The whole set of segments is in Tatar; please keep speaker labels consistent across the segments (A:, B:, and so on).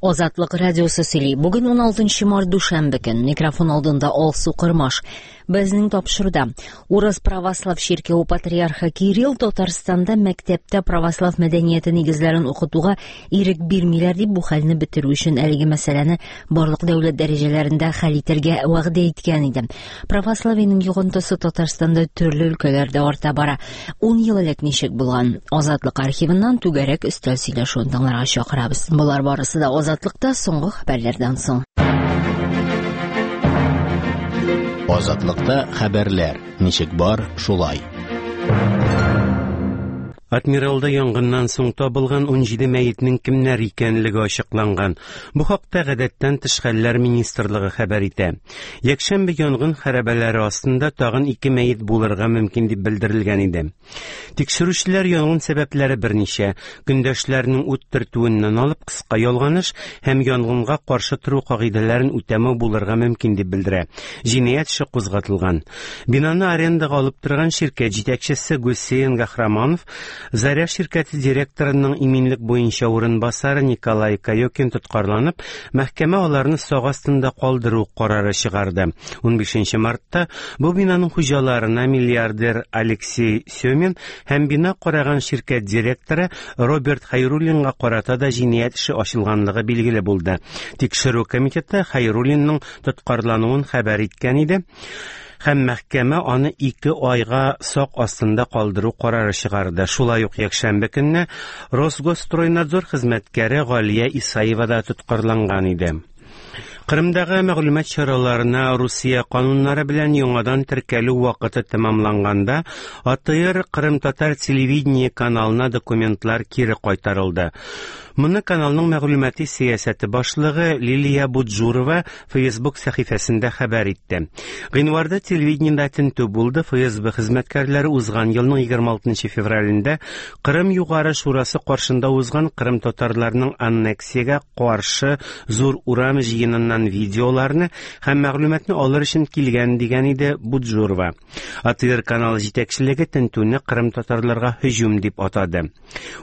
A: Азатлык радиосы сөйли. Бүген 16 март дүшәмбе көн. Микрофон алдында Алсу Кырмаш. Безнең тапшыруда Урыс православ чиркәве патриархы Кирилл Татарстанда мәктәптә православ мәдәнияте нигезләрен укытуга ирек бирмиләр дип бу хәлне бетерү өчен әлеге мәсьәләне барлык дәүләт дәрәҗәләрендә хәл итәргә вәгъдә иткән иде. Православиенең йогынтысы Татарстанда төрле өлкәләрдә арта бара. 10 ел элек ничек булган? Азатлык архивыннан түгәрәк өстәл сөйләшүен тыңларга чакырабыз. Болар барысы да Азатлыкта соңгы хәбәрләрдән соң.
B: Азатлыкта хәбәрләр ничек бар, шулай.
C: Адмиралда янгыннан соң табылган 17 мәетнең кемнәр икәнлеге ачыкланган. Бу хакта гадәттән тыш хәлләр министрлыгы хәбәр итә. Якшәмбе янгын хәрабәләре астында тагын 2 мәет булырга мөмкин дип белдерелгән иде. Тикшерүчеләр янгын сәбәпләре берничә, көндәшләрнең ут төртүеннән алып кыска ялганыш һәм янгынга каршы тору кагыйдәләрен үтәмәү булырга мөмкин дип белдерә. Җинаять эше кузгатылган. Бинаны арендага алып торган ширкәт җитәкчесе Гусейн Гахраманов, Заря ширкәте директорының иминлек буенча урынбасары Николай Кайокин тоткарланып, мәхкәмә аларны сак астында калдыру карары чыгарды. 15 мартта бу бинаның хуҗаларына миллиардер Алексей Семин һәм бина караган ширкәт директоры Роберт Хайруллинга карата да җинаять эше ачылганлыгы билгеле булды. Тикшерү комитеты Хайруллинның тоткарлануын хәбәр иткән иде. Һәм мәхкәмә аны 2 айга сак астында калдыру карары чыгарды. Шулай ук якшәмбе көнне Росгосстройнадзор хезмәткәре Галия Исаева да тоткарланган иде. Кырымдагы мәгълүмат чараларына Русия кануннары белән яңадан теркәлү вакыты тәмамланганда, АТР Кырым татар телевидение каналына документлар кире кайтарылды. Моны каналның мәгълүмати сәясәте башлыгы Лилия Буджурова Facebook сәхифәсендә хәбәр итте. Гыйнварда телевидениедә тентү булды. ФСБ хезмәткәрләре узган елның 26 февралендә Кырым Югары Шурасы каршында узган Кырым татарларының аннексиягә каршы зур урам җыеныннан видеоларны һәм мәгълүматны алыр өчен килгән дигән иде Буджурова. АТР каналы җитәкчелеге тентүне Кырым татарларга һөҗүм дип атады.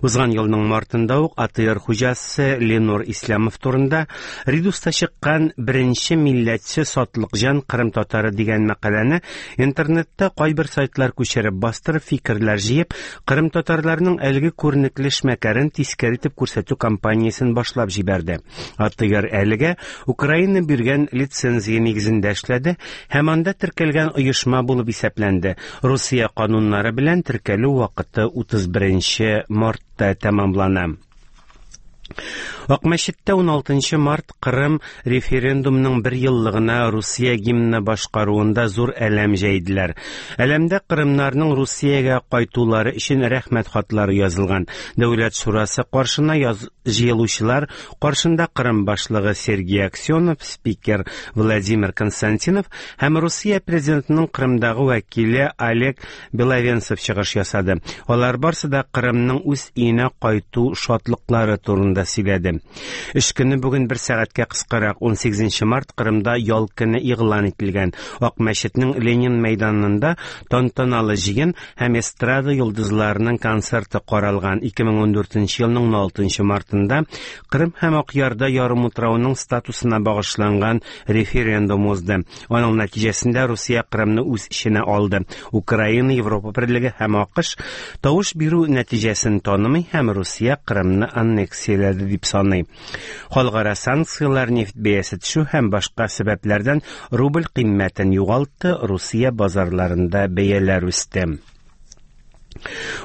C: Узган елның мартында ук АТР хуҗасы Ленур Ислямов турында Редуста чыккан беренче милләтче сатлыкҗан Кырым татары дигән мәкаләне интернетта кайбер сайтлар күчереп бастырып фикерләр җыеп, Кырым татарларының әлеге күренекле эшмәкәрен тискәре итеп күрсәтү кампаниясен башлап җибәрде. АТР әлегә Украина биргән лицензия нигезендә эшләде һәм анда теркәлгән оешма булып исәпләнде. Русия кануннары белән теркәлү вакыты 31 мартта тәмамлана. Акмәчеттә 16 март Кырым референдумның бер еллыгына Русия гимны башкаруында зур әләм җәйделәр. Әләмдә кырымнарның Русиягә кайтулары өчен рәхмәт хатлары язылган. Дәүләт шурасы каршына җыелучылар каршында Кырым башлыгы Сергей Аксенов, спикер Владимир Константинов һәм Русия президентының Кырымдагы вәкиле Олег Беловенцев чыгыш ясады. Алар барсы да Кырымның үз өенә кайту шатлыклары турында сөйләде. Эш көне бүген бер сәгатькә кыскарак, 18 март Кырымда ял көне игълан ителгән. Акмәчетнең Ленин мәйданында тантаналы җыен һәм эстрада йолдызларының концерты каралган. 2014 елның 16 мартында Кырым һәм Акъярда ярымутрауның статусына багышланган референдум узды. Аның нәтиҗәсендә Русия Кырымны үз эченә алды. Украина, Европа Берлеге һәм АКШ тавыш бирү нәтиҗәсен танымый һәм Русия Кырымны аннексияләде дип саный. Халыкара санкцияләр, нефть бәясе төшү һәм башка сәбәпләрдән рубль кыйммәтен югалтты, Русия базарларында бәяләр үсте.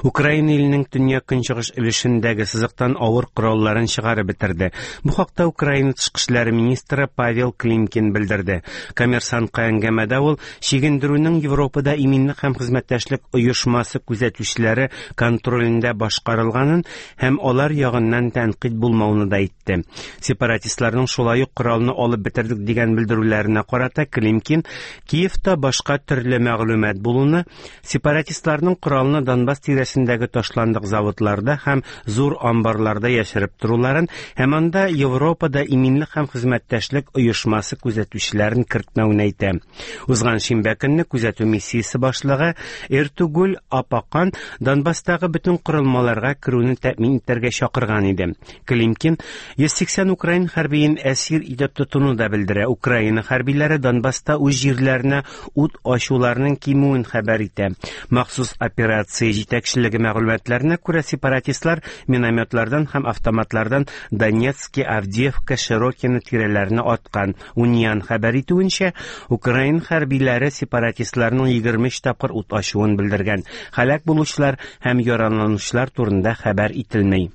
C: Украина иленең төньяк-көнчыгыш өлешендәге сызыктан авыр коралларын чыгарып бетерде. Бу хакта Украина тышкы эшләр министры Павел Климкин белдерде. Коммерсантка әңгәмәдә ул чигендерүнең Европада иминлек һәм хезмәттәшлек оешмасы күзәтүчеләре контролендә башкарылганын һәм алар ягыннан тәнкыйть булмауны да әйтте. Сепаратистларның шулай ук коралны алып бетердек дигән белдерүләренә карата Климкин Киевта башка төрле мәгълүмат булуны, сепаратистларның коралны Донбасс Донбасс тирәсендәге ташландык заводларда һәм зур амбарларда яшереп торуларын һәм анда Европада иминлек һәм хезмәттәшлек оешмасы күзәтүчеләрен кертмәвен әйтә. Узган шимбә көнне күзәтү миссиясе башлыгы Эртугул Апакан Донбасстагы бөтен корылмаларга керүне тәэмин итәргә чакырган иде. Климкин 180 украин хәрбиен әсир итеп тотуны да белдерә. Украина хәрбиләре Донбасста үз җирләренә ут ачуларның кимүен хәбәр итә. Махсус операция җитәкчелеге мәгълүматларына күрә, сепаратистлар минометлардан һәм автоматлардан Донецки, Авдеевка, Широкино тирәләренә аткан. Униан хәбәр итүенчә, украин хәрбиләре сепаратистларның 23 тапкыр ут ачуын белдергән. Һәлак булучылар һәм яраланучылар турында хәбәр ителми.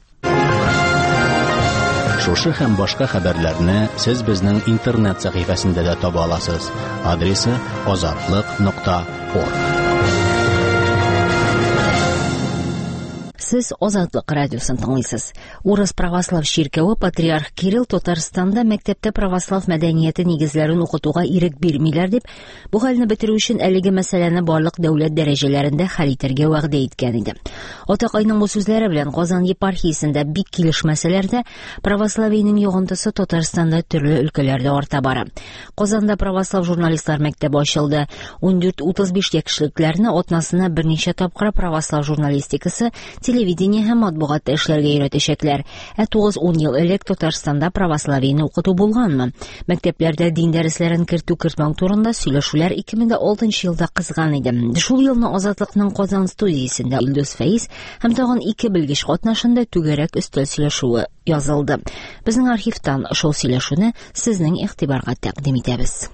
B: Шушы һәм башка хәбәрләрне сез безнең интернет сәхифәсендә дә таба аласыз. Адресы azatliq.org.
A: Сез Азатлык радиосын тыңлыйсыз. Урыс православ чиркәве патриарх Кирилл Татарстанда мәктәптә православ мәдәнияте нигезләрен укытуга ирек бирмиләр дип, бу хәлне бетерү өчен әлеге мәсьәләне барлык дәүләт дәрәҗәләрендә хәл итәргә вәгъдә иткән иде. Атакайның бу сүзләре белән Казан епархиясендә бик килешмәсәләр дә, православиенең йогынтысы Татарстанда төрле өлкәләрдә арта бара. Казанда православ журналистлар мәктәбе ачылды. 14-35 яшьлекләрне атнасына берничә тапкыр православ журналистикасы, телевидение һәм матбугатта эшләргә өйрәтәчәкләр. Ә 9-10 ел элек Татарстанда православиене укыту булганмы? Мәктәпләрдә дин дәресләрен кертү-кертмәү турында сөйләшүләр 2006 елда кызган иде. Шул елны Азатлыкның Казан студиясендә Илдус Фәиз һәм тагын ике белгеч катнашында түгәрәк өстәл сөйләшүе язылды. Безнең архивтан шул сөйләшүне сезнең игътибарга тәкъдим итәбез.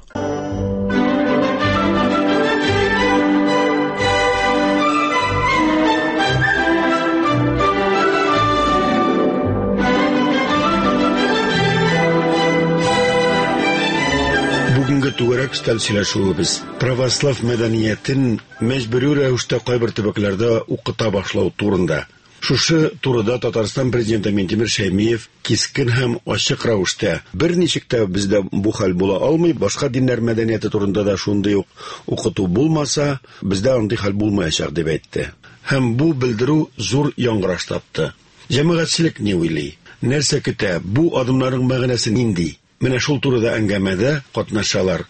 D: Бүгенге түгәрәк өстәл сөйләшүебез православ мәдәниятен мәҗбүри рәвештә кайбер төбәкләрдә укыта башлау турында. Шушы турыда Татарстан президенты Минтимер Шәймиев кискен һәм ачык рәвештә берничек тә бездә бу хәл була алмый, башка диннәр мәдәнияте турында да шундый ук укыту булмаса, бездә андый хәл булмаячак дип әйтте. Һәм бу белдерү зур яңгыраш тапты. Җәмәгатьчелек ни уйлый? Нәрсә көтә? Бу адымнарның мәгънәсе нинди? Менә шул турыда әңгәмәдә катнашалар.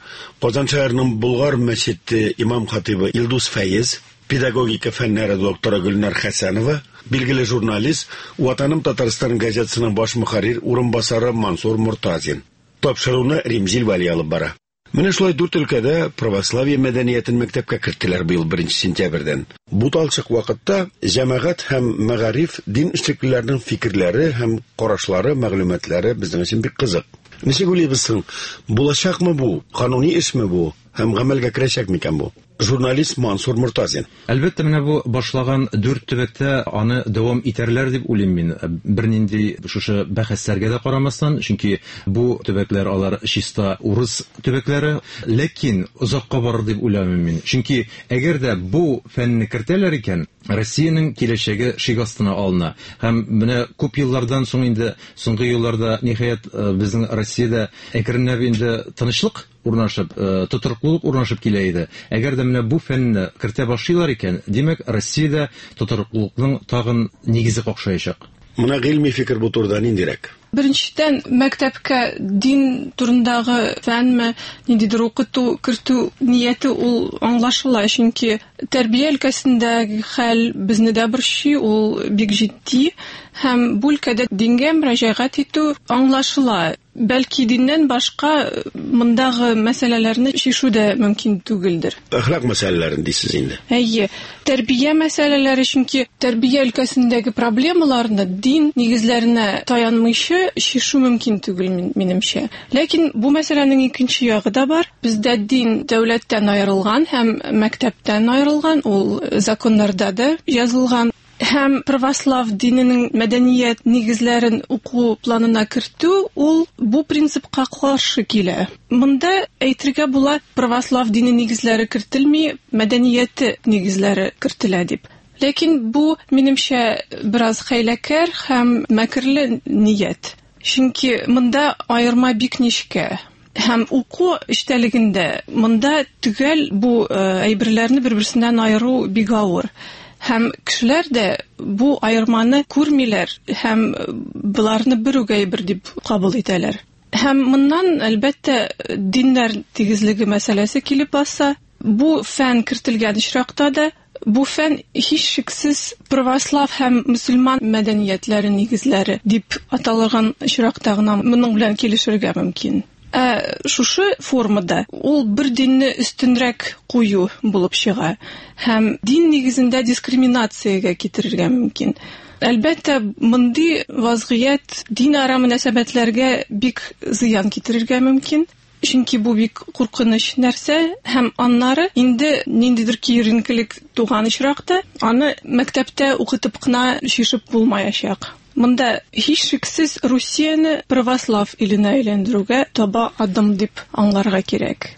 D: Казан шәһәренең Болгар мәчете имам хатибы Илдус Фәиз, педагогика фәннәре докторы Гөлнар Хәсәнова, билгеле журналист, Ватаным Татарстан газетасының баш мөхәррир урынбасары Мансур Мортазин. Тапшыруны Римзил Вәли алып бара. Менә шулай дүрт өлкәдә православие мәдәниятен мәктәпкә керттеләр быел 1 сентябрьдән. Буталчык вакытта җәмәгать һәм мәгариф дин эшлеклеләренең фикерләре һәм карашлары, мәгълүматлары безнең өчен бик кызык. Ничек уйлыйбыз соң? Булачакмы бу? Кануни эшме бу? Һәм гамәлгә керәчәк микән бу? Журналист Мансур Мортазин.
E: Әлбәттә, менә бу башлаган дүрт төбәктә аны дәвам итәрләр дип уйлыйм мин. Бернинди шушы бәхәсләргә дә карамастан, чөнки бу төбәкләр алар чиста урыс төбәкләре, ләкин озакка барыр дип уйламыйм мин. Чөнки әгәр дә бу фәнне кертәләр икән, Россиянең киләчәге шик астына алына. Һәм менә күп еллардан соң инде, соңгы елларда ниһаять безнең Россиядә әкренләп инде тынычлык урнашып, тотрыклылык урнашып килә иде. Әгәр дә менә бу фәнне кертә башлыйлар икән, димәк, Россиядә тотрыклылыкның тагын нигезе какшаячак.
D: Менә гыйльми фикер бу турыда ниндирәк?
F: Беренчедән, мәктәпкә дин турындагы фәнме, ниндидер укыту кертү нияте ул аңлашыла, чөнки тәрбия өлкәсендәге хәл безне дә борчый, ул бик җитди, һәм бу өлкәдә дингә мөрәҗәгать итү аңлашыла. Бәлки диннән башка мондагы мәсьәләләрне чишү дә мөмкин түгелдер.
D: Әхлак мәсьәләләрен дисез инде.
F: Әйе, тәрбия мәсьәләләре, чөнки тәрбия өлкәсендәге проблемаларны дин нигезләренә таянмыйча чишү мөмкин түгел минемчә. Ләкин бу мәсьәләнең икенче ягы да бар. Бездә дин дәүләттән аерылган һәм мәктәптән аерылган, ул законнарда да язылган. Һәм православ диненең мәдәният нигезләрен уку планына кертү ул бу принципка каршы килә. Монда әйтергә була, православ дине нигезләре кертелми, мәдәнияте нигезләре кертелә дип. Ләкин бу, минемчә, бераз хәйләкәр һәм мәкерле ният. Чөнки монда аерма бик нечкә. Һәм уку эчтәлегендә монда төгәл бу әйберләрне бер-берсеннән аеру бик авыр. Һәм кешеләр дә бу аерманы күрмиләр һәм боларны бер үк әйбер дип кабул итәләр. Һәм моннан, әлбәттә, диннәр тигезлеге мәсьәләсе килеп баса. Бу фән кертелгән очракта да бу фән һичшиксез православ һәм мөселман мәдәниятләре нигезләре дип аталган очракта гына моның белән килешергә мөмкин. Ә шушы формада ул бер динне өстенрәк кую булып чыга һәм дин нигезендә дискриминациягә китерергә мөмкин. Әлбәттә, мондый вазгыять динара мөнәсәбәтләргә бик зыян китерергә мөмкин. Чөнки бу бик куркыныч нәрсә һәм аннары инде ниндидер киеренкелек туган очракта аны мәктәптә укытып кына чишеп булмаячак. Монда һичшиксез Русияне православ иленә әйләндерүгә таба адым дип аңларга кирәк.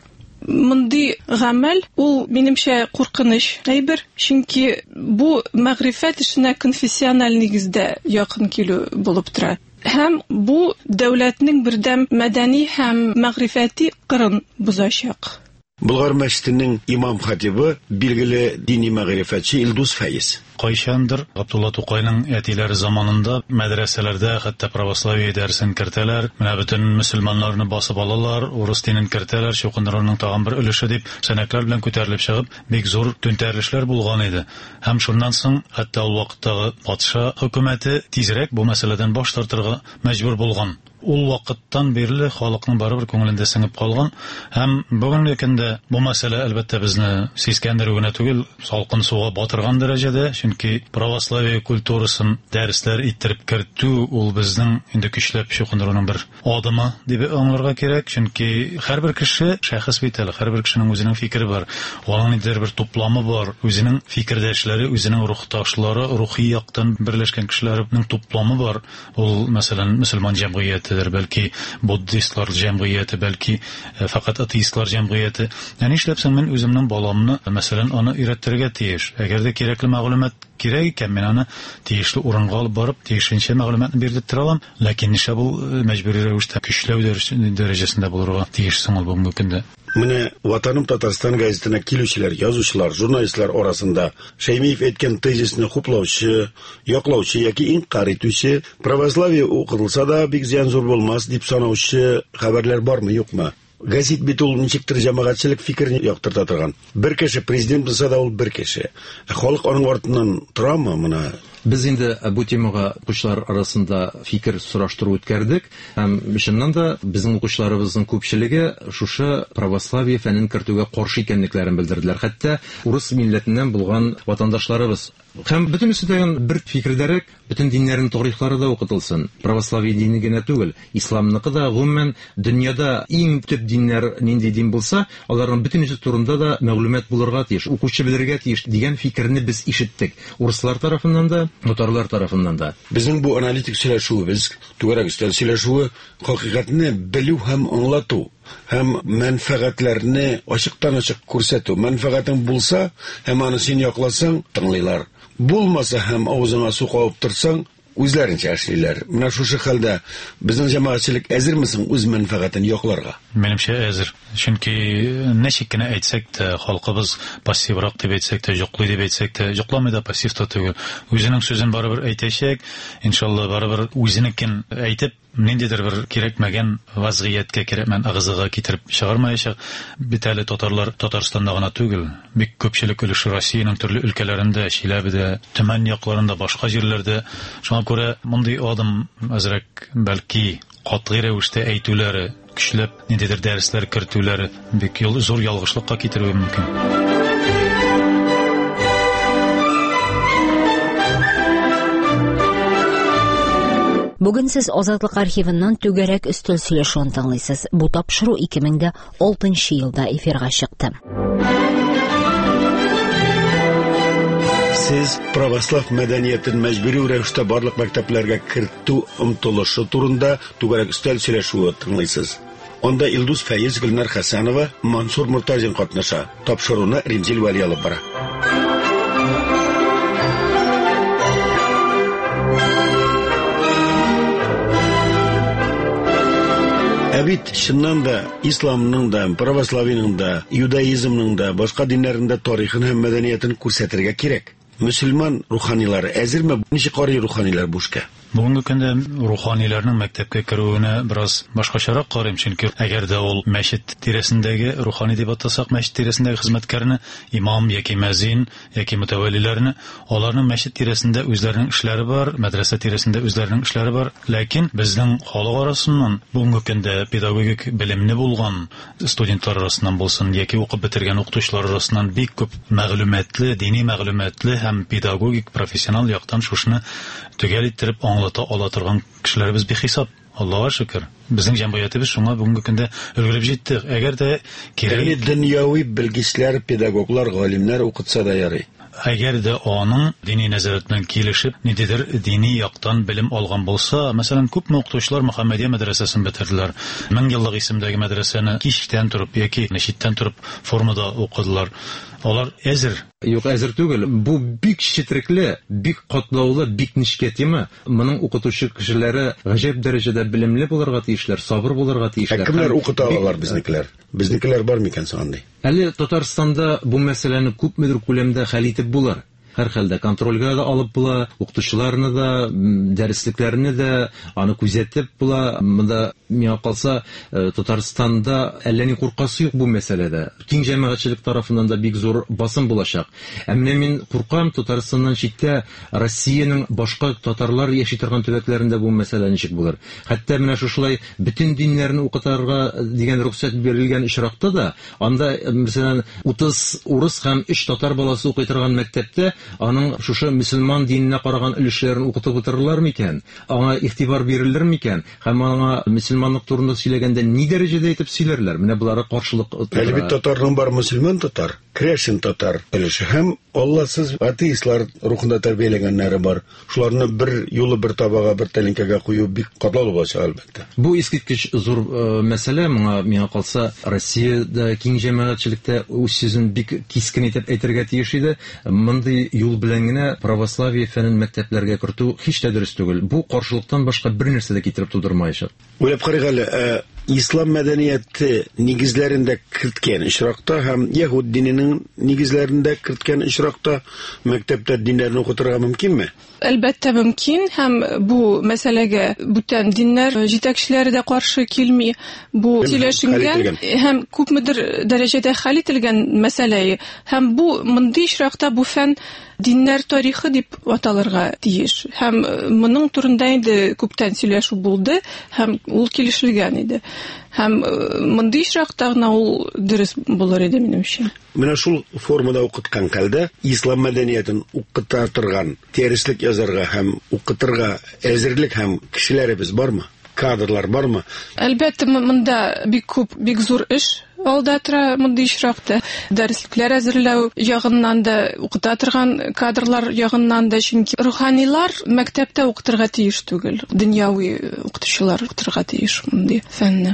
F: Мондый гамәл ул минемчә куркыныч әйбер, чөнки бу мәгърифәт эшенә конфессиональ нигездә якын килү булып тора. Һәм бу дәүләтнең бердәм мәдәни һәм мәгърифәти кырын бозачак.
D: Болгар мәчетенең имам-хатибы, билгеле дини мәгърифәтче Илдус Фәиз.
G: Кайчандыр Габдулла Тукайның әтиләре заманында мәдрәсәләрдә хәтта православие дәресен кертәләр, менә бөтен мөселманнарны басып алалар, урыс динен кертәләр, чукындыруның тагын бер өлеше дип, сәнәкләр белән күтәрелеп чыгып, бик зур түнтәрелешләр булган иде. Һәм шуннан соң хәтта ул вакыттагы патша хөкүмәте тизрәк бу мәсьәләдән баш тартырга мәҗбүр булган. Ул вакыттан бирле халыкның барыбер күңелендә сеңеп калган һәм бүгенге көндә бу мәсьәлә әлбәттә безне сискәндерү генә түгел, салкын суга батырган дәрәҗәдә, чөнки православие культурасын дәресләр иттереп кертү ул безнең инде көчләп чукындыруның бер адымы дип аңларга кирәк, чөнки һәрбер кеше шәхес бит әле, һәрбер кешенең үзенең фикере бар, аның ниндидер бер тупламы бар, үзенең фикердәшләре, үзенең рухташлары, рухи яктан берләшкән кешеләрнең тупламы бар. Ул, мәсәлән, мөселман җәмгыятедер, бәлки буддистлар җәмгыяте, бәлки фәкать атеистлар җәмгыяте. Ә нишләп соң мин үземнең баламны, мәсәлән, аны өйрәттерергә тиеш? Әгәр дә кирәкле мәгълүмат кирәк икән, мин аны тиешле урынга алып барып, тиешенчә мәгълүматны бирдерттерә алам. Ләкин нишләп ул мәҗбүри рәвештә көчләү дәрәҗәсендә булырга тиеш соң ул бүгенге көндә?
D: Менә Ватаным Татарстан газетына килүчеләр, язучылар, журналистлар арасында Шәймиев әйткән тезисны хуплаучы, яклаучы яки инкарь итүче, православие укытылса да бик зыян зур булмас дип санаучы хәбәрләр бармы, юкмы? Газет бит ул ничектер җәмәгатьчелек фикерен яктырта торган. Бер кеше президент булса да ул бер кеше. Ә халык аның артыннан торамы моны?
E: Без инде бу темага укучылар арасында фикер сораштыру үткәрдек. Һәм чыннан да безнең укучыларыбызның күпчелеге шушы православие фәнен кертүгә каршы икәнлекләрен белдерделәр. Хәтта урыс милләтеннән булган ватандашларыбыз. Һәм бөтенесе дә бер фикердәрәк, бөтен диннәрнең тарихлары да укытылсын. Православие дине генә түгел, исламныкы да, гомумән дөньяда иң төп диннәр нинди дин булса, аларның бөтенесе турында да мәгълүмат булырга тиеш, укучы белергә тиеш дигән фикерне без ишеттек. Урыслар тарафыннан да, татарлар тарафыннан да.
D: Безнең бу аналитик сөйләшүебез, түгәрәк өстәл сөйләшүе хакыйкатьне белү һәм аңлату һәм мәнфәгатьләрне ачыктан-ачык күрсәтү. Мәнфәгатең булса һәм аны син якласаң, тыңлыйлар. Булмаса һәм авызыңа су кабып торсаң, үзләренчә эшлиләр. Менә шушы хәлдә безнең җәмәгатьчелек әзерме соң үз мәнфәгатен якларга?
G: Минемчә әзер. Чөнки ничек кенә әйтсәк тә, халкыбыз пассиврак дип әйтсәк тә, йоклый дип әйтсәк тә, йокламый да, пассив та түгел. Үзенең сүзен барыбер әйтәчәк, иншалла, барыбер үзенекен әйтеп, ниндидер бер кирәкмәгән вазгыятькә, кирәкмәгән ыгы-зыгы китереп чыгармаячак. Бит әле татарлар Татарстанда гына түгел, бик күпчелек өлеше Россиянең төрле өлкәләрендә, Чиләбедә, Төмән якларында, башка җирләрдә. Шуңа күрә мондый адым әзрәк бәлки катгый рәвештә әйтүләре, көчләп ниндидер дәресләр кертүләре бик зур ялгышлыкка китерүе мөмкин.
A: Бүген сез Азатлык архивыннан түгәрәк өстәл сөйләшүен тыңлыйсыз. Бу тапшыру 2006 елда эфирга чыкты.
D: Сез православ мәдәниятен мәҗбүри рәвештә барлык мәктәпләргә кертү омтылышы турында түгәрәк өстәл сөйләшүе тыңлыйсыз. Анда Илдус Фәиз, Гөлнар Хәсәнова, Мансур Муртазин катнаша. Тапшыруны Римзил Вәли алып бара. Ә бит чыннан да исламның да, православиеның да, иудаизмның да, башка диннәрнең дә тарихын һәм мәдәниятен күрсәтергә кирәк. Мөселман руханилары әзерме? Ничек карый руханилар бу эшкә?
G: Бүгенге көндә руханиларның мәктәпкә керүенә бераз башкачарак карыйм, чөнки әгәр дә ул мәчет тирәсендәге рухани дип атасак, мәчет тирәсендәге хезмәткәрне, имам яки мәзин яки мөтәвәлиләрне, аларның мәчет тирәсендә үзләренең эшләре бар, мәдрәсә тирәсендә үзләренең эшләре бар. Ләкин безнең халык арасыннан бүгенге көндә педагогик белемле булган студентлар арасыннан булсын яки укып бетергән укытучылар арасыннан бик күп мәгълүматлы, дини мәгълүматлы һәм педагогик профессионал яктан шушыны төгәл иттереп аңлата ала торган кешеләребез бихисап. Аллага шөкер. Безнең җәмгыятебез шуңа бүгенге көндә өлгереп җитте. Әгәр дә кирәк,
D: Ягъни дөньяви белгечләр, педагоглар, галимнәр укытса да ярый.
G: Әгәр дә аның дини нәзарәт белән килешеп, ниндидер дини яктан белем алган булса, мәсәлән, күпме укытучылар Мөхәммәдия мәдрәсәсен бетерделәр. Мең еллык исемдәге мәдрәсәне кичтән торып яки читтән торып формада укыдылар. Алар әзер.
E: Юк, әзер түгел. Бу бик четерекле, бик катлаулы, бик нечкә тема. Моның укытучы кешеләре гаҗәп дәрәҗәдә белемле булырга тиешләр, сабыр булырга
D: Ә
E: тиешләр.
D: кемнәр
E: Һәм
D: укыта
E: бик-
D: алалар безнекеләр? Безнекеләр бар микән соң андый?
E: Әле Татарстанда бу мәсьәләне күпмедер күләмдә хәл итеп булыр. Һәр хәлдә контрольгә дә алып була, укытучыларны да, дәреслекләрне дә аны күзәтеп була. Монда миңа калса, Татарстанда әллә ни куркасы юк бу мәсьәләдә. Киң җәмәгатьчелек тарафыннан да бик зур басым булачак. Ә менә мин куркам, Татарстаннан читтә Россиянең башка татарлар яши торган төбәкләрендә бу мәсьәлә ничек булыр? Хәтта менә шушылай бөтен диннәрне укытырга дигән рөхсәт бирелгән очракта да, анда, мәсәлән, 30 урыс һәм 3 татар баласы укый торган мәктәптә аның шушы мөселман диненә караган өлешләрен укытып утырырлар микән? Аңа игътибар бирелер микән? Һәм аңа мөселманлык турында сөйләгәндә ни дәрәҗәдә итеп сөйләрләр? Менә болары каршылык тудыра.
D: Әле бит татарның бар мөселман татар, крәшен татар өлеше һәм Алласыз атеистлар рухында тәрбияләгәннәре бар. Шуларны бер юлы бер табага, бер тәлинкәгә кую бик катлаулы булачак, әлбәттә.
E: Бу искиткеч зур мәсьәлә. Моңа миңа калса, Россиядә киң җәмәгатьчелектә үз сүзен бик кискен итеп әйтергә тиеш иде. Мондый юл белән генә православие фәнен мәктәпләргә кертү һич тә дөрес түгел. Бу каршылыктан башка бер нәрсә дә китереп тудырмаячак.
D: Уйлап карыйк әле, ислам мәдәнияте нигезләрендә керткән очракта һәм яһүд диненең нигезләрендә керткән очракта мәктәптә диннәрне укытырга мөмкинме?
F: Әлбәттә мөмкин, һәм бу мәсьәләгә бүтән диннәр җитәкчеләре дә каршы килми. Бу
D: Һәм
F: сөйләшенгән
D: хәл ителгән.
F: һәм күпмедер дәрәҗәдә хәл ителгән мәсьәлә. Һәм бу мондый очракта бу фән диннәр тарихы дип аталырга тиеш. Һәм моның турында инде күптән сөйләшү булды һәм ул килешелгән иде. Һәм мондый очракта гына ул дөрес булыр иде минемчә.
D: Менә шул формада укыткан хәлдә ислам мәдәниятен укыта торган дәреслек язарга һәм укытырга әзерлек һәм кешеләребез бармы? Кадрлар бармы?
F: Әлбәттә, монда бик күп, бик зур эш алда тора мондый очракта. Дәреслекләр әзерләү ягыннан да, укыта торган кадрлар ягыннан да, чөнки руханилар мәктәптә укытырга тиеш түгел. Дөньяви укытучылар укытырга тиеш мондый фәнне.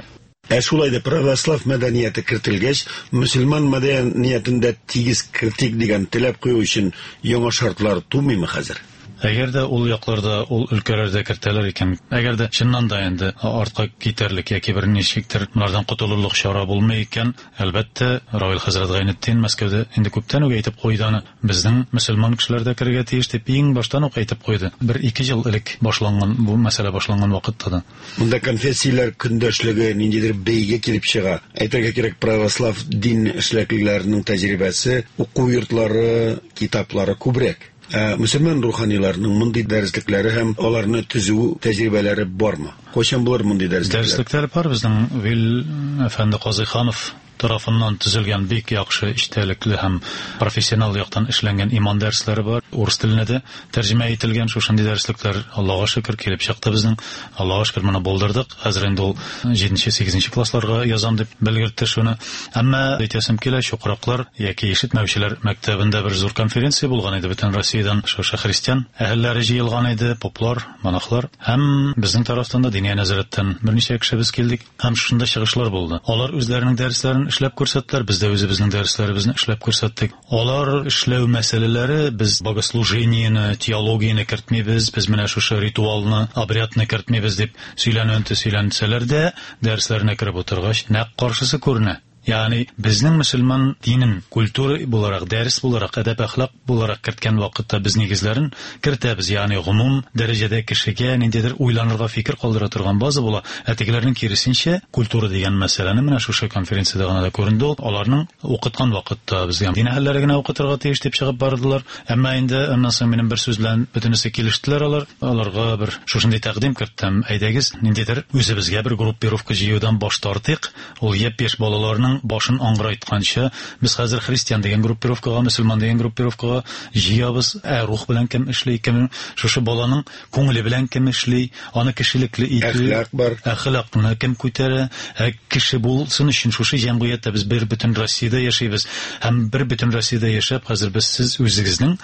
D: Ә шулай да православ мәдәнияте кертелгәч, мөселман мәдәниятен дә тигез кертик дигән теләп кую өчен яңа шартлар тумыймы хәзер?
G: Әгәр дә ул якларда, ул өлкәләрдә кертәләр икән, әгәр дә чыннан да инде артка китәрлек яки бер ничектер монардан котылырлык чара булмый икән, әлбәттә, Равил хәзрәт Гайнетдин Мәскәүдә инде күптән үк әйтеп куйды аны, безнең мөселман кешеләр дә керергә тиеш дип иң баштан ук әйтеп куйды. Бер-ике ел элек башланган бу мәсьәлә башланган вакытта да.
D: Монда конфессияләр көндәшлеге ниндидер бәйге килеп чыга. Әйтергә кирәк, православ дин эшлеклеләренең тәҗрибәсе, уку йортлары, китаплары күбрәк. Ә мөселман руханиларының мондый дәреслекләре һәм аларны төзү тәҗрибәләре бармы? Кайчан булыр мондый дәреслекләр?
G: Дәреслекләр бар. Безнең Вил әфәнде Казыйханов тарафыннан төзелгән бик яхшы эчтәлекле һәм профессионал яктан эшләнгән иман дәресләре бар. Урыс теленә дә тәрҗемә ителгән шушындый дәреслекләр, Аллага шөкер, килеп чыкты безнең. Аллага шөкер, моны булдырдык. Хәзер инде ул җиденче, сигезенче классларга язам дип белгертте шуны. Әмма әйтәсем килә, чукраклар яки ишетмәүчеләр мәктәбендә бер зур конференция булган иде. Бөтен Россиядән шушы христиан әһелләре җыелган иде, поплар, монахлар. Һәм безнең тарафтан да Диния нәзарәттән берничә кеше без килдек. Һәм шунда чыгышлар булды. Алар үзләренең дәресләрен эшләп күрсәттеләр, без дә үзебезнең дәресләребезне эшләп күрсәттек. Алар эшләү мәсьәләләре, без богослужениене, теологияне кертмибез, без менә шушы ритуалны, обрядны кертмибез дип сөйләнүен сөйләнсәләр дә, дәресләренә кереп утыргач, нәкъ каршысы күренә. Ягъни безнең мөселман динен культура буларак, дәрес буларак, әдәп әхлак буларак керткән вакытта без нигезләрен кертәбез. Ягъни гомум дәрәҗәдә кешегә ниндидер уйланырга фикер калдыра торган база була. Ә тегеләрнең киресенчә, культура дигән мәсьәләне менә шушы конференциядә гына да күренде ул. Аларның укыткан вакытта безгә дин әһелләре генә укытырга тиеш дип чыгып бардылар. Әмма инде аннан соң минем бер сүз белән бөтенесе килештеләр алар. Аларга бер шушындый тәкъдим керттем. Әйдәгез, ниндидер үзебезгә бер группировка җыюдан баш тартыйк. Ул япь-яшь балаларның башын аңгырайтканчы, без хәзер христиан дигән группировкага, мөселман дигән группировкага җыябыз. Ә рух белән кем эшли, кем шушы баланың күңеле белән кем эшли, аны кешелекле итү,
D: Әхлак бар.
G: Әхлакны кем күтәрә, ә кеше булсын өчен шушы җәмгыятьтә без бер бөтен Россиядә яшибез. Һәм бер бөтен Россиядә яшәп, хәзер без сез үзегезнең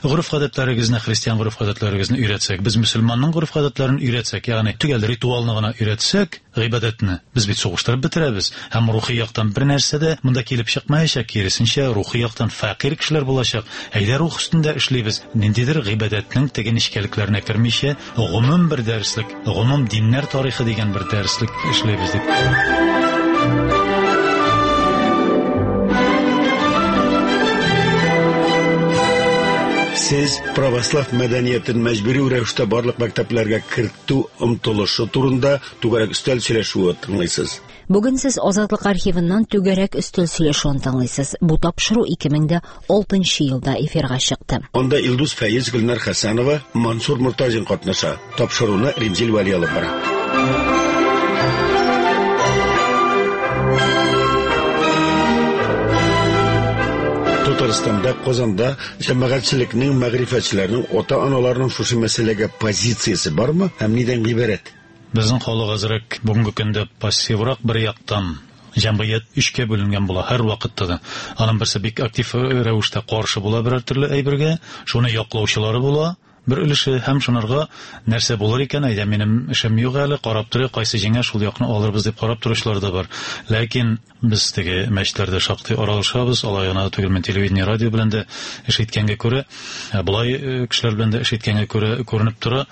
G: гореф-гадәтләрегезне, христиан гореф-гадәтләрегезне өйрәтсәк, без мөселманның гореф-гадәтләрен өйрәтсәк, ягъни төгәл ритуалны гына өйрәтсәк, гыйбадәтне без бит сугыштырып бетерәбез. Һәм рухи яктан бер нәрсә дә монда килеп чыкмаячак, киресенчә, рухи яктан фәкыйрь кешеләр булачак. Әйдә рух өстендә эшлибез. Ниндидер гыйбадәтнең теге нечкәлекләренә кермичә, гомум бер дәреслек, гомум диннәр тарихы дигән бер дәреслек эшлибез дип.
D: Сез православ мәдәниятен мәҗбүри рәвештә барлык мәктәпләргә кертү омтылышы турында түгәрәк өстәл сөйләшүе тыңлыйсыз.
A: Бүген сез Азатлык архивыннан түгәрәк өстәл сөйләшүен тыңлыйсыз. Бу тапшыру 2006 елда эфирга чыкты.
D: Анда Илдус Фәиз, Гөлнар Хәсәнова, Мансур Мортазин катнаша. Тапшыруны Римзил Вәли алып бара. Татарстанда, Казанда җәмәгатьчелекнең, мәгърифәтчеләрнең, ата-аналарның шушы мәсьәләгә позициясе бармы һәм нидән гыйбарәт?
G: Безнең халык әзрәк бүгенге көндә пассиврак бер яктан. Җәмгыять өчкә бүленгән була һәр вакытта да. Аның берсе бик актив рәвештә каршы була берәр төрле әйбергә, шуны яклаучылары була бер өлеше, һәм шунарга нәрсә булыр икән, әйдә минем эшем юк әле, карап торыйк, кайсы җиңә, шул якны алырбыз дип карап торучылар да бар. Ләкин без теге мәчетләрдә шактый аралашабыз, алай гына түгел, мин телевидение, радио белән дә эш иткәнгә күрә, болай кешеләр белән дә эш иткәнгә күрә күренеп тора,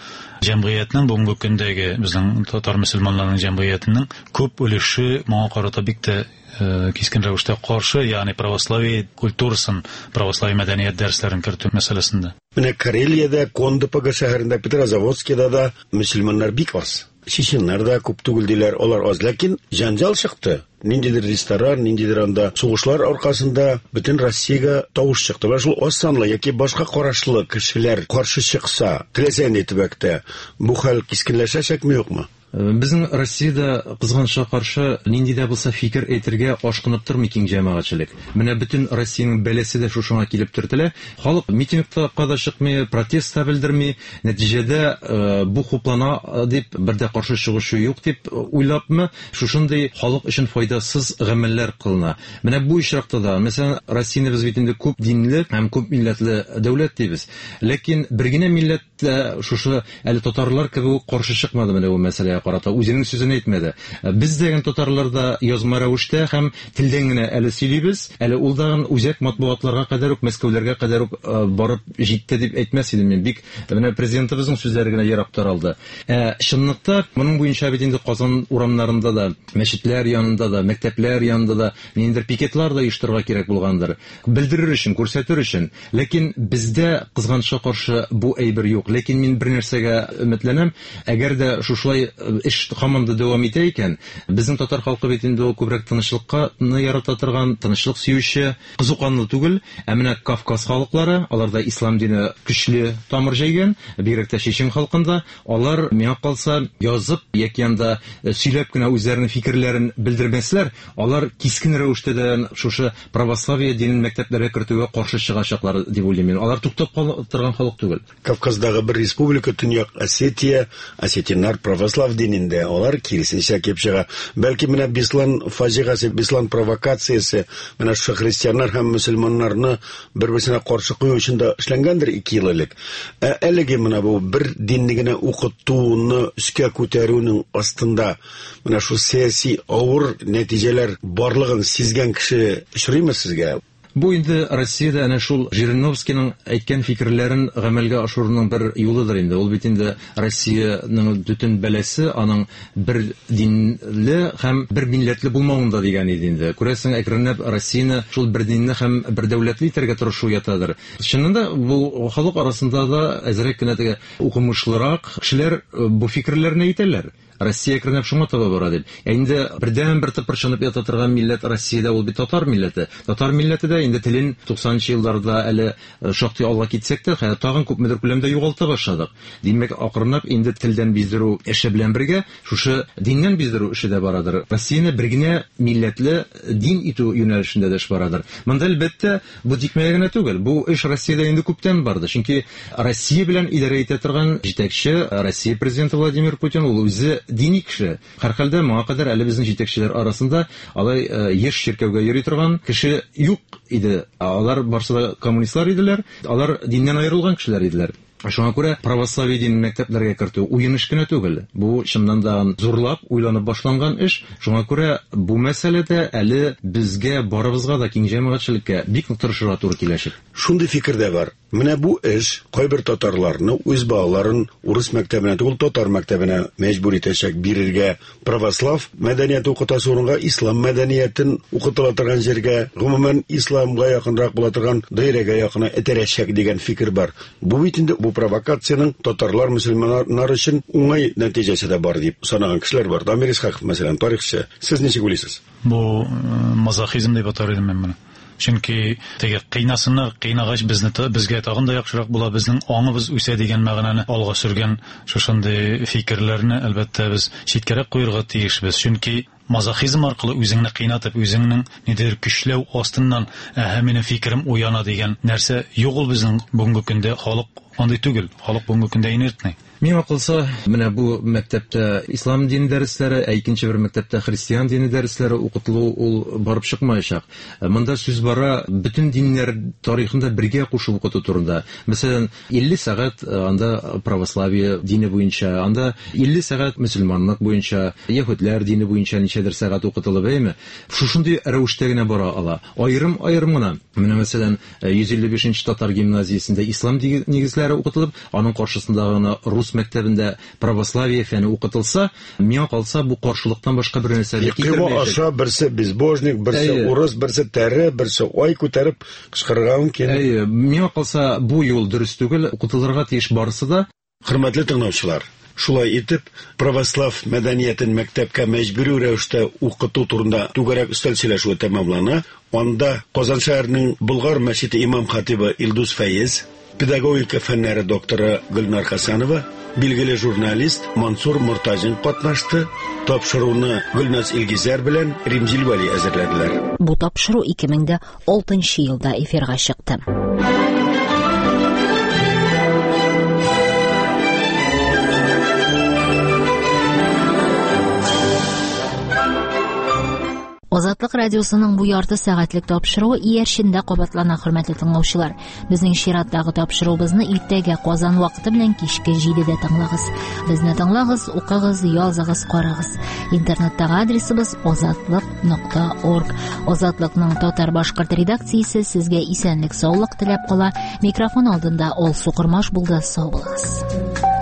G: җәмгыятьнең бүгенге көндәге безнең татар мөселманнарының җәмгыятенең күп өлеше моңа карата бик тә кискен рәвештә каршы, ягъни православие культурасын, православие мәдәният дәресләрен кертү мәсьәләсендә.
D: Менә Карелиядә, Кондопога шәһәрендә, Петрозаводскида да мөселманнар бик аз. Чеченнар да күп түгел диләр, алар аз, ләкин җанҗал чыкты. Ниндидер ресторан, ниндидер анда сугышлар аркасында бөтен Россиягә тавыш чыкты. Менә шул аз санлы яки башка карашлы кешеләр каршы чыкса, теләсә нинди төбәктә бу хәл кискенләшәчәкме, юкмы?
E: Безнең Россиядә кызганычка каршы нинди дә булса фикер әйтергә ашкынып тормый киң җәмәгатьчелек. Менә бөтен Россиянең бәласе дә шушыңа килеп төртелә. Халык митингка да чыкмый, протест та белдерми. Нәтиҗәдә бу хуплана дип, бер дә каршы чыгучы юк дип уйлапмы, шушындый халык өчен файдасыз гамәлләр кылына. Менә бу очракта да, мәсәлән, Россияне без бит инде күп динле һәм күп милләтле дәүләт дибез. Ләкин бер генә милләт шушы әле татарлар кебек үк каршы чыкмады менә бу мәсьәләгә карата, үзенең сүзен әйтмәде. Без дә татарлар да язма рәвештә һәм телдән генә әле сөйлибез, әле ул дагын үзәк матбугатларга кадәр үк, Мәскәүләргә кадәр үк барып җитте дип әйтмәс идем мин. Бик менә президентыбызның сүзләре генә ерак таралды. Чынлыкта моның буенча бит инде Казан урамнарында да, мәчетләр янында да, мәктәпләр янында да ниндидер пикетлар да оештырырга кирәк булгандыр. Белдерер өчен, күрсәтер өчен. Ләкин бездә кызганычка каршы бу әйбер юк. Ләкин мин бер нәрсәгә өметләнәм, әгәр дә шушылай эш һаман да дәвам итә икән, безнең татар халкы бит инде ул күбрәк тынычлыкка ярата торган, тынычлык сөюче, кызу канлы түгел, ә менә Кавказ халыклары, аларда ислам дине көчле тамыр җәйгән, бигрәк тә чечен халкында, алар миңа калса язып яки анда сөйләп кенә үзләренең фикерләрен белдермәсләр, алар кискен рәвештә дә шушы православие динен мәктәпләргә кертүгә каршы чыгачаклар дип уйлыйм мин. Алар туктап торган халык түгел.
D: Кавказдагы бер республика, Төньяк Осетия, осетиннар православ динендә, алар киресенчә килеп чыга. Бәлки менә Беслан фаҗигасе, Беслан провокациясе менә шушы христианнар һәм мөселманнарны бер-берсенә каршы кую өчен дә эшләнгәндер 2 ел элек. Ә әлеге менә бу бер динне генә укытуны өскә күтәрүнең астында менә шул сәяси авыр нәтиҗәләр барлыгын сизгән кеше очрыймы сезгә?
E: Бу инде Россиядә әнә шул Жириновскийның әйткән фикерләрен гамәлгә ашыруның бер юлыдыр инде. Ул бит инде Россиянең бөтен бәласе аның бер динле һәм бер милләтле булмавында дигән иде инде. Күрәсең, әкренләп Россияне шул бер динле һәм бер дәүләтле итәргә тырышу ятадыр. Чыннан да бу халык арасында да әзрәк кенә теге укымышлырак кешеләр бу фикерләрне әйтәләр. Россия әкренләп шуңа таба бара дип. Ә инде бердән-бер тыпырчынып ята торган милләт Россиядә ул бит татар милләте. Татар милләте дә инде телен 90 елларда әле шактый алга китсәк тә, хәзер тагын күпмедер күләмдә югалта башладык. Димәк, акрынлап инде телдән биздерү эше белән бергә шушы диннән биздерү эше дә барадыр. Россияне бер генә милләтле дин итү юнәлешендә дә эш барадыр. Монда әлбәттә бу тикмәгә генә түгел. Бу эш Россиядә инде күптән барды. Чөнки Россия белән идарә итә торган җитәкче Россия президенты Владимир Путин ул үзе дини кеше. Һәрхәлдә моңа кадәр әле безнең җитәкчеләр арасында алай еш чиркәүгә йөри торган кеше юк иде. Алар барсы да коммунистлар иделәр. Алар диннән аерылган кешеләр иделәр. Шуңа күрә православие динен мәктәпләргә кертү уен эш кенә түгел. Бу чыннан да зурлап уйланып башланган эш. Шуңа күрә бу мәсьәләдә әле безгә барыбызга да киң җәмәгатьчелеккә бик нык тырышырга туры киләчәк.
D: Шундый фикер дә бар. Менә бу эш кайбер татарларны үз балаларын урыс мәктәбенә түгел, татар мәктәбенә мәҗбүр итәчәк бирергә, православ мәдәнияте укытасы урынга ислам мәдәниятен укытыла торган җиргә, гомумән исламга якынрак була торган даирәгә якына этәрәчәк дигән фикер бар. Бу бит инде бу провокациянең татарлар, мөселманнар өчен уңай нәтиҗәсе дә бар дип санаган кешеләр бар. Дамир Исхаков, мәсәлән, тарихчы. Сез ничек уйлыйсыз?
G: Бу мазохизм дип атар идем мин моны. Чөнки теге кыйнасыннар, кыйнагач безне безгә тагын да яхшырак була, безнең аңыбыз үсә дигән мәгънәне алга сөргән шушындый фикерләрне, әлбәттә, без читкәрәк куярга тиешбез. Чөнки мазохизм аркылы үзеңне кыйнатып, үзеңнең нидер көчләү астыннан, әһә, минем фикерем уяна дигән нәрсә юк ул безнең бүгенге көндә халык андый түгел. Халык бүгенге көндә инертный.
E: Миңа калса, менә бу мәктәптә ислам дине дәресләре, ә икенче бер мәктәптә христиан дине дәресләре укытылу ул барып чыкмаячак. Монда сүз бара бөтен диннәр тарихында бергә кушып укыту турында. Мәсәлән, 50 сәгать анда православие дине буенча, анда 50 сәгать мөселманлык буенча, яһүдләр дине буенча ничәдер сәгать укытылып, әйме? Шушындый рәвештә генә бара ала. Аерым-аерым гына. Менә мәсәлән, 155 татар гимназиясендә ислам нигезләре укытылып, аның каршысында гына рус мәктәбендә православие фәне укытылса, миңа калса бу каршылыктан башка бер нәрсә дә
D: китермәячәк. Аша берсе безбожник, берсе урыс, берсе тәре, берсе ай күтәреп кычкырырга мөмкин.
E: Әйе, миңа калса бу юл дөрес түгел, укытылырга тиеш барысы да.
D: Хөрмәтле тыңлаучылар, шулай итеп, православ мәдәниятен мәктәпкә мәҗбүри рәвештә укыту турында түгәрәк өстәл сөйләшүе тәмамлана. Анда Казан шәһәренең Болгар мәчете имам хатибы Илдус Фәез, педагогика фәннәре докторы Гөлнар Хасанова, билгеле журналист Мансур Мортазин катнашты. Тапшыруны Гөлназ Илгизәр белән Римзил Вәли әзерләделәр.
A: Бу тапшыру 2006 елда эфирга чыкты. Азатлык радиосының бу ярты сәгатьлек тапшыруы иярчендә кабатлана, хөрмәтле тыңлаучылар. Безнең чираттагы тапшыруыбызны иртәгә Казан вакыты белән кичке 7-дә тыңлагыз. Безне тыңлагыз, укыгыз, языгыз, карагыз. Интернеттагы адресыбыз azatliq.org. Азатлыкның татар-башкорт редакциясе сезгә исәнлек, саулык теләп кала. Микрофон алдында Алсу Кормаш булды. Сау булыгыз.